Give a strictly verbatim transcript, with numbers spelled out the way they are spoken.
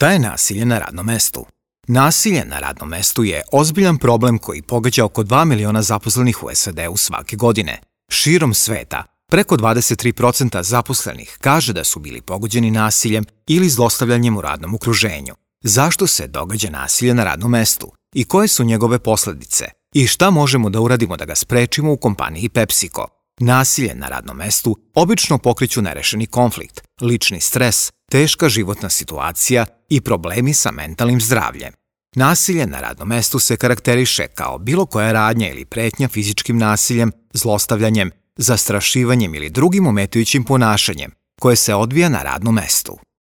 Šta je nasilje na radnom mestu? Nasilje na radnom mestu je ozbiljan problem koji pogađa oko dva miliona zaposlenih u S A D-u svake godine. Širom sveta, preko dvadeset tri posto zaposlenih kaže da su bili pogođeni nasiljem ili zlostavljanjem u radnom okruženju. Zašto se događa nasilje na radnom mestu? I koje su njegove posledice? I šta možemo da uradimo da ga sprečimo u kompaniji PepsiCo? Nasilje na radnom mestu obično pokreću nerešeni konflikt, lični stres, teška životna situacija i problemi sa mentalnim zdravljem. Nasilje na radnom mestu se karakteriše kao bilo koja radnja ili pretnja fizičkim nasiljem, zlostavljanjem, zastrašivanjem ili drugim ometajućim ponašanjem koje se odvija na radnom mestu.